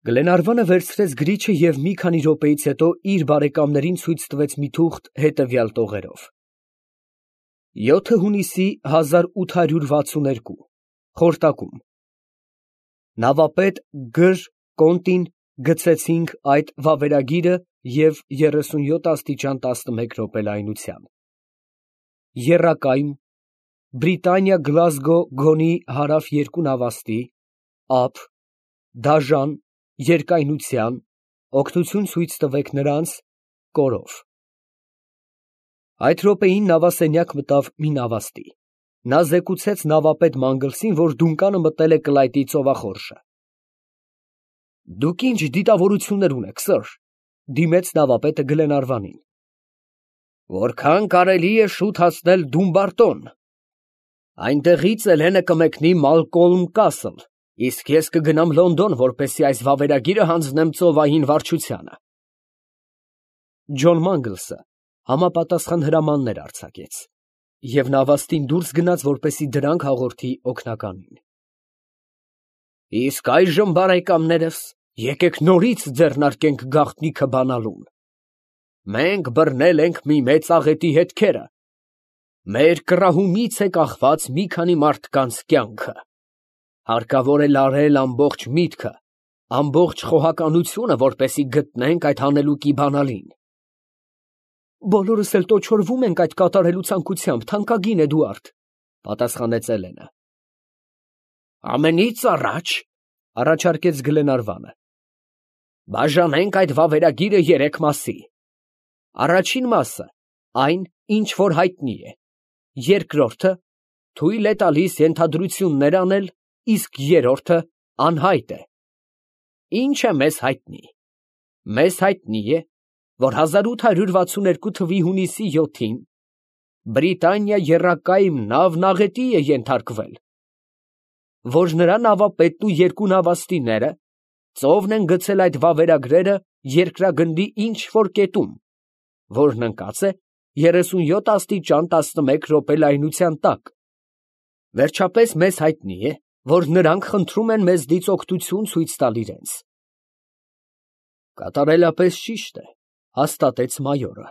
Գլենարվանը վերցրեց գրիչը և մի քանի րոպեից հետո իր բարեկամներին ցույց տվեց մի թուղթ հետևյալ տողերով. 7 հունիսի 1862 Խորտակում Նավապետ Կոնտին գցեցինք այդ վավերագիրը և 37 աստիճան 11 րոպե լայնության։ Եռակայմ Բրիտանիա Գլազգո գոնի հարավ 2 նավաստի ափ դաժան երկայնության օգնություն ցույց տվեք նրանց կորով։ Այդ րոպեին նավասենյակ մտավ մի նավաստի։ Նա զեկուցեց նավապետ Մանգլսին, որ դունկանը մտնել է կլայտի ծովախորշը։ Դուք ինչ դիտավորություններ ունեք, սըր, դիմեց նավապետը Գլենարվանին։ Որքան կարելի է շուտ հասնել Դումբարտոն։ Այնտեղից Էլենը կմեկնի Մալկոլմ Կասլ, իսկ ես կգնամ Լոնդոն, որպեսզի այս վավերագիրը հանձնեմ ծովային վարչությանը։ Ջոն Մանգլսը համապատասխան հրամաններ արձակեց, և նավաստին դուրս գնաց, որպեսզի դրանք հաղորդի օգնականին։ Իսկ այժմ, բարեկամներս, եկեք նորից ձեռնարկենք գաղտնիքը բանալուն։ Մենք բռնել ենք մի մեծ աղետի հետքերը։ Մեր կռահումից է կախված մի քանի մարդկանց կյանքը։ Հարկավոր է լարել ամբողջ միտքը, ամբողջ խոհականությունը, որպեսզի գտնենք այդ հանելուկի բանալին։ Բոլորս էլ տոչորվում ենք այդ կատարելու ցանկությամբ, թանկագին Էդուարդ, պատասխանեց Էլենը։ Ամենից առաջ, առաջարկեց Գլենարվանը, բաժանենք այդ վավերագիրը 3 մասի։ Առաջին մասը այն, ինչ որ հայտնի է, երկրորդը թույլ է տալիս ենթադրություններ անել, իսկ երրորդը անհայտ է։ Ինչ է մեզ հայտնի։ Մեզ հայտնի է, որ 1862 թվականի հունիսի 7-ին Բրիտանիա եռակայմ նավն աղետի է ենթարկվել, որ նրա նավապետն ու 2 նավաստիները ծովն են գցել այդ վավերագրերը երկրագնդի ինչ-որ կետում, որն ընկած է 37 աստիճան 11 րոպե լայնության տակ։ Վերջապես մեզ հայտնի է, որ նրանք խնդրում են մեզնից օգնություն ցույց տալ իրենց։ Կատարելապես ճիշտ է, հաստատեց մայորը։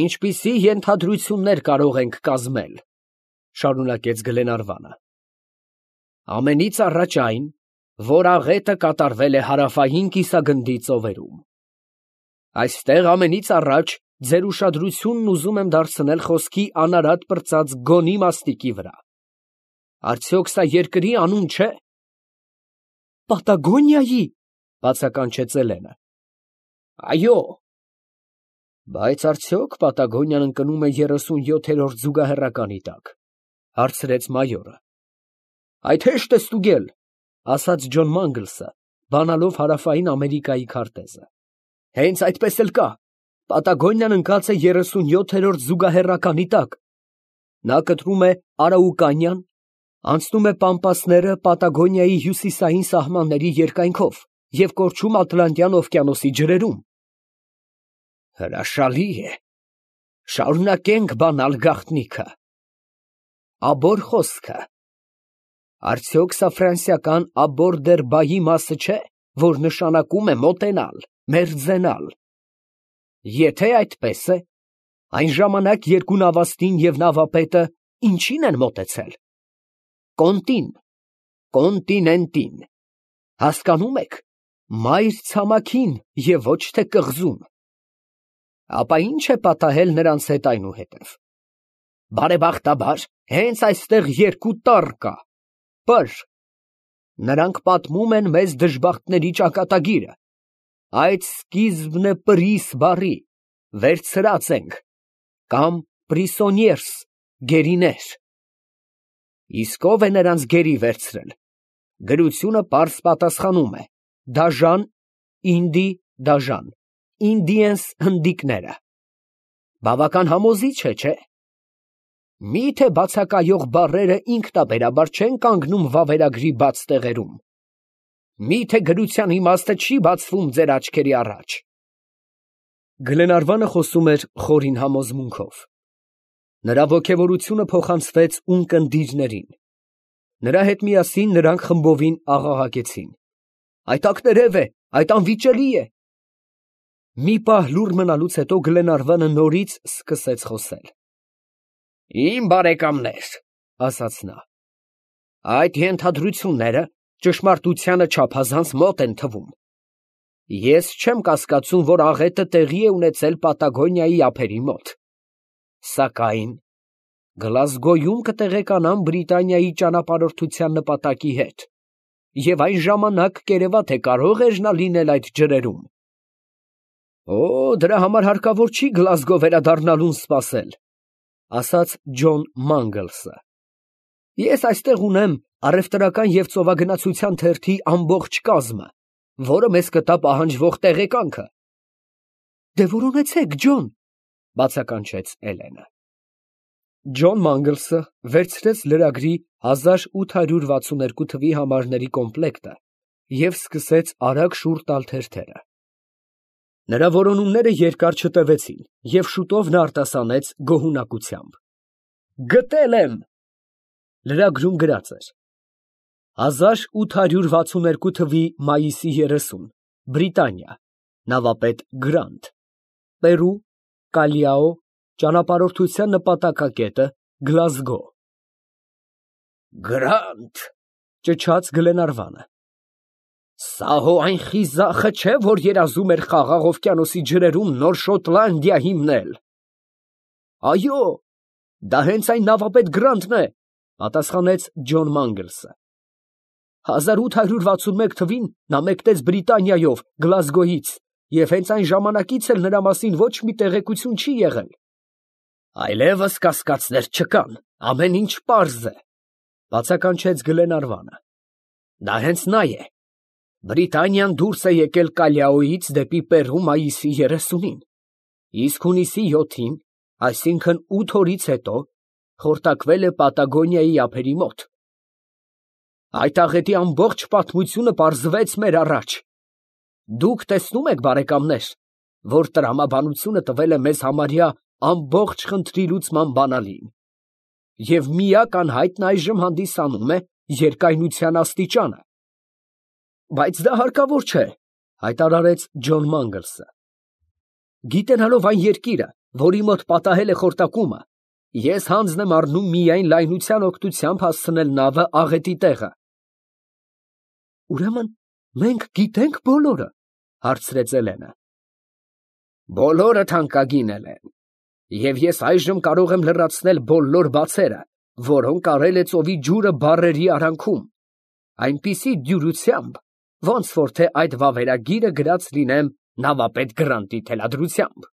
Ինչպիսի ենթադրություններ կարող ենք կազմել, շարունակեց Գլենարվանը։ Ամենից առաջ այն, որ աղետը կատարվել է հարավային կիսագնդի ծովերում։ Այստեղ ամենից առաջ ձեր ուշադրությունն ուզում եմ դարձնել խոսքի անարատ պրծած գոնի մաստիկի վրա։ Արդյոք սա երկրի անուն չէ։ Պատագոնիայի, բացականչեց Էլենը։ Այո։ Բայց արդյոք Պատագոնիան ընկնում է 37-րդ զուգահեռականի տակ, հարցրեց մայորը։ Այդ հեշտ է ստուգել, ասաց Ջոն Մանգլսը, բանալով հարավային Ամերիկայի քարտեզը։ Հենց այդպես էլ կա։ Պատագոնիան ընկած է 37-րդ զուգահեռականի տակ։ Նա կտրում է Արաուկանիան, անցնում է Պամպասները Պատագոնիայի հյուսիսային սահմանների երկայնքով և կորչում Ատլանտյան օվկիանոսի ջրերում։ Հրաշալի է։ Շարունակենք բանալ գաղտնիքը։ Աբոր խոսքը։ Արդյոք սա ֆրանսիական աբոր դեր բայի մասը չէ, որ նշանակում է մոտենալ, մերձենալ։ Եթե այդպես է, այն ժամանակ 2 նավաստին և նավապետը ինչին են մոտեցել։ Կոնտին, կոնտինենտին։ Հասկանում եք, մայր ցամաքին և ոչ թե կղզուն։ Ապա ինչ է պատահել նրանց հետ այնուհետև։ Բարեբախտաբար, հենց այստեղ 2 տառ կա, պր։ Նրանք պատմում են մեզ դժբախտների ճակատագիրը։ Այդ սկիզբն է պրիս բառի, վերցրած ենք, կամ պրիսոնիերս, գերիներ։ Իսկ ով է նրանց գերի վերցրել։ Գրությունը պարզ պատասխանում է. դաժան, ինդի, դաժան, ինդիենս հնդիկները։ Բավական համոզիչ է, չէ՞։ Միթե բացակայող բառերը ինքնաբերաբար չեն կանգնում վավերագրի բաց տեղերում։ Միթե գրության իմաստը չի բացվում ձեր աչքերի առաջ։ Գլենարվանը խոսում էր խորին համոզմունքով։ Նրա ոգևորությունը փոխանցվեց ունկնդիրներին։ Նրա հետ միասին նրանք խմբովին աղաղակեցին։ այդ ակներև է, այդ անվիճելի է։ Մի պահ լուռ մնալուց հետո Գլենարվանը նորից սկսեց խոսել։ Իմ բարեկամներ, ասաց նա, այդ ենթադրությունները ճշմարտությանը չափազանց մոտ են թվում։ Ես չեմ կասկածում, որ աղետը տեղի է ունեցել Պատագոնիայի ափերի մոտ։ Սակայն Գլազգոյում կտեղեկանան Բրիտանիայի ճանապարհորդության նպատակի հետ, և այն ժամանակ կերևա, թե կարող էր նա լինել այդ ջրերում։ Օ, դրա համար հարկավոր չի Գլազգո վերադառնալուն սպասել, ասաց Ջոն Մանգլսը։ Ես այստեղ ունեմ առևտրական և ծովագնացության թերթի ամբողջ կազմը, որը մեզ կտա պահանջվող տեղեկանքը։ Դե որոնեցեք, Ջոն, բացականչեց Էլենը։ Ջոն Մանգլսը վերցրեց լրագրի 1862 թվի համարների կոմպլեկտը և սկսեց արագ շուռ տալ թերթերը։ Նրա որոնումները երկար չտևեցին, և շուտով նա արտասանեց գոհունակությամբ. Գտել եմ։ Լրագրում գրած էր. 1862 թվի մայիսի 30, Բրիտանիա, նավապետ Գրանտ, Պերու, Կալիաո, ճանապարհորդության նպատակակետը Գլազգո։ Գրանտ, ճչաց Գլենարվանը։ Սա հո այն խիզախը չէ, որ երազում էր Խաղաղ օվկիանոսի ջրերում նոր Շոտլանդիա հիմնել։ Այո, դա հենց այն նավապետ Գրանտն է, պատասխանեց Ջոն Մանգլսը։ 1861 թվին նա մեկնեց Բրիտանիայով, Գլազգոյից, և հենց այն ժամանակից էլ նրա մասին ոչ մի տեղեկություն չի եղել։ Այլևս կասկածներ չկան, ամեն ինչ պարզ է, բացականչեց Գլենարվանը։ Դա հենց նա է։ Բրիտանիան դուրս է եկել Կալիաոյից դեպի Պերու մայիսի 30-ին, իսկ հունիսի 7-ին, այսինքն 8 օրից հետո, խորտակվել է Պատագոնիայի ափերի մոտ։ Այդ աղետի ամբողջ պատմությունը պարզվեց մեր առաջ։ Դուք տեսնում եք, բարեկամներ, որ տրամաբանությունը տվել է մեզ համարյա ամբողջ խնդրի լուծման բանալին, և միակ անհայտն այժմ հանդիսանում է երկայնության աստիճանը։ Բայց դա հարկավոր չէ, հայտարարեց Ջոն Մանգլսը։ Գիտենալով այն երկիրը, որի մոտ պատահել է խորտակումը, ես հանձն եմ առնում միայն լայնության օգնությամբ հասցնել նավը աղետի տեղը։ Ուրեմն մենք գիտենք բոլորը, հարցրեց Էլենը։ Բոլորը թանկագին են, և ես այժմ կարող եմ լրացնել բոլոր բացերը, որոնք արել է ծովի ջուրը բառերի արանքում, այնպիսի դյուրությամբ, ոնց որ թե այդ վավերագիրը գրած լինեմ նավապետ Գրանտի թելադրությամբ։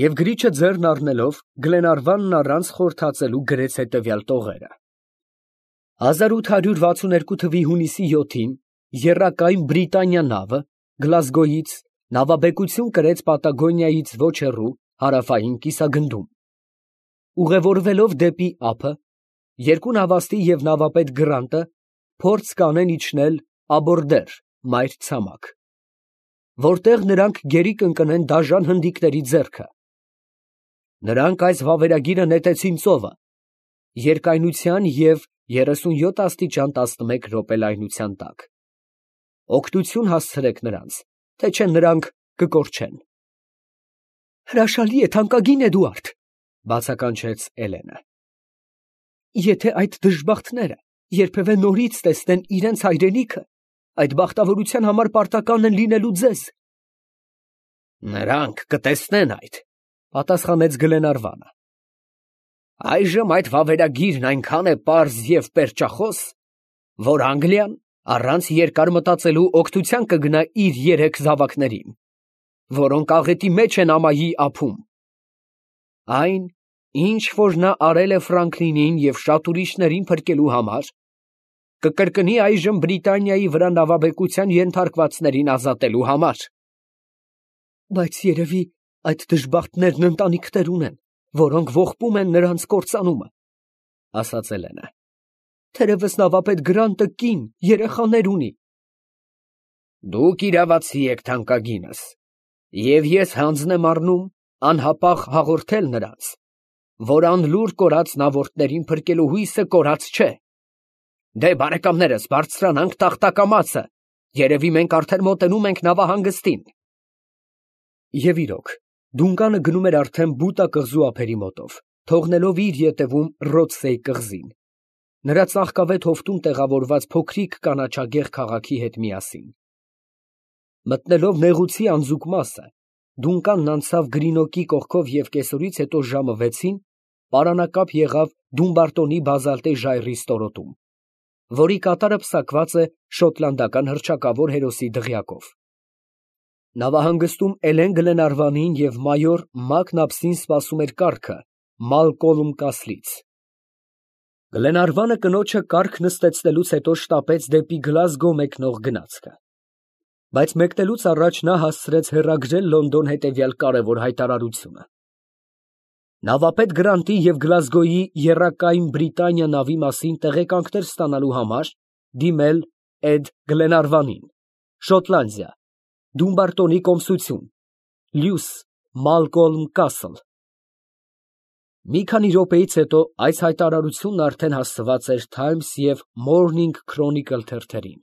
Եվ գրիչը ձեռն առնելով, Գլենարվանն առանց խորթացելու գրեց հետևյալ տողերը. 1862 թվի հունիսի 7-ին եռակայն Բրիտանիա նավը Գլազգոյից նավաբեկություն կրեց Պատագոնիայից ոչ հեռու հարավային կիսագնդում։ Ուղևորվելով դեպի ափը, երկու նավաստի և նավապետ Գրանտը փորձ կանեն իջնել Աբորդեր, մայր ցամաք, որտեղ նրանք գերի կընկնեն դաժան հնդիկների ձեռքը։ Նրանք այս վավերագիրը նետեցին ծովը, երկայնության և 37 աստիճան 11 րոպե լայնության տակ։ Օգնություն հասցրեք նրանց, թե չէ նրանք կկորչեն։ Հրաշալի է, թանկագին Էդուարդ, բացականչեց Էլենը։ Եթե այդ դժբախտները երբևէ նորից տեսնեն իրենց հայրենիքը, այդ բախտավորության համար պարտական են լինելու ձեզ։ Նրանք կտեսնեն այդ, պատասխանեց Գլենարվանը։ Այժմ այդ վավերագիրն այնքան է պարզ և պերճախոս, որ Անգլիան առանց երկար մտածելու օգնության կգնա իր 3 զավակներին, որոնք աղետի մեջ են ամայի ափում։ Այն, ինչ որ նա արել է Ֆրանկլինին և շատ ուրիշներին փրկելու համար, կկրկնի այժմ Բրիտանիայի վրա նավաբեկության ենթարկվածներին ազատելու համար։ Բայց երևի այդ դժբախտներն ընտանիքներ ունեն, որոնք ողբում են նրանց կործանումը, ասաց Էլենը։ Թերևս նավապետ Գրանտը կին, երեխաներ ունի։ Դուք իրավացի եք, թանկագինս, և ես հանձն եմ առնում անհապաղ հաղորդել նրանց, որ անլուր կորած նավորդներին փրկելու հույսը կորած չէ։ Դե, բարեկամներս, բարձրանանք տախտակամածը Երևի մենք արդեն մոտենում ենք նավահանգստին։ Եվ իրոք, Դունկանը գնում էր արդեն Բուտա կղզու ափերի մոտով, թողնելով իր ետևում Ռոցսեի կղզին, նրա ծաղկավետ հովտում տեղավորված փոքրիկ կանաչագեղ քաղաքի հետ միասին։ Մտնելով նեղուցի անձուկ մասը, Դունկանն անցավ Գրինոկի կողքով և կեսօրից հետո ժամը 6-ին պարանակապ եղավ Դումբարտոնի բազալտե ժայռի ստորոտում, որի կատարը պսակված է շոտլանդական հռչակավոր հերոսի դղյակով։ Նավահանգստում Էլեն Գլենարվանին և մայոր Մակնաբսին սպասում էր կառքը Մալկոլմ Կասլից։ Գլենարվանը կնոջը կառք նստեցնելուց հետո շտապեց դեպի Գլազգո մեկնող գնացքը, բայց մեկնելուց առաջ նա հասցրեց հեռագրել Լոնդոն հետևյալ կարևոր հայտարարությունը. Նավապետ Գրանտի և Գլազգոյի եռակայն Բրիտանիա նավի մասին տեղեկանքներ ստանալու համար դիմել Էդ. Գլենարվանին, Շոտլանդիա, Դումբարտոնի կոմսություն, Լյուս, Մալկոլմ Կասլ։ Մի քանի րոպեից հետո այս հայտարարությունն արդեն հասցված էր Թայմս և Մորնինգ Քրոնիկլ թերթերին։